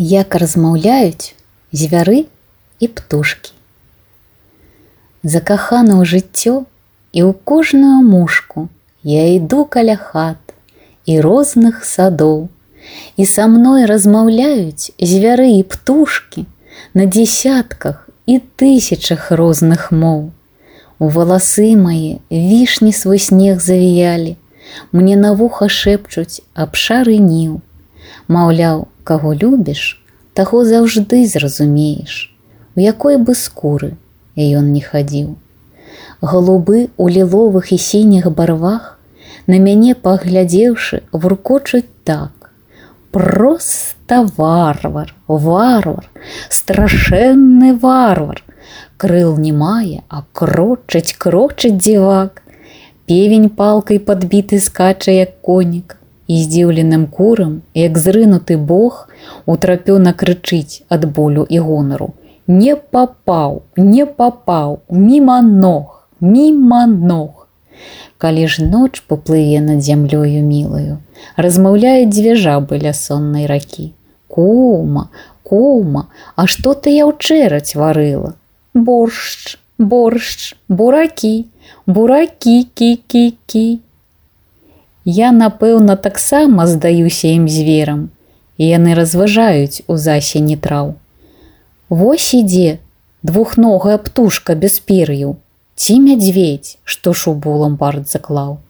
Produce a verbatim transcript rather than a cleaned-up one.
Як размаўляюць звяры і птушкі. Закахана ў жыццё, і ў кожную мушку я іду каля хат і розных садоў, і са мной размаўляюць звяры і птушкі на дзесятках і тысячах розных моў. У валасы мае вішні свой снег завіялі, мне на вуха шэпчуць аб шары ніў. Маўляў, каго любіш, таго заўжды зразумееш, у якой бы скуры ён не хадзіў. Галубы ў ліловых і сініх барвах, на мяне паглядзеўшы, вуркочуць так: проста варвар, варвар, страшэнны варвар. Крыл не мае, а крочыць, крочыць дзівак. Певень палкай падбіты скача, як конік, і здзіўленым курам, як зрынуты бог, утрапёна крычыць ад болю і гонару: не папаў, не папаў, міма ног, міма ног. Калі ж ноч паплыве над зямлёю мілаю, размаўляюць дзве жабы ля соннай ракі: кума, кума, а што ты яўчэраць варыла? Боршч, боршч, буракі, буракі, кі-кі-кі. Я, напэўна, таксама здаюся ім зверам, і яны разважаюць у засені траў. Вось ідзе двухногая птушка без пер'яў, ці мядзведзь, што шубу ў ламбард заклаў.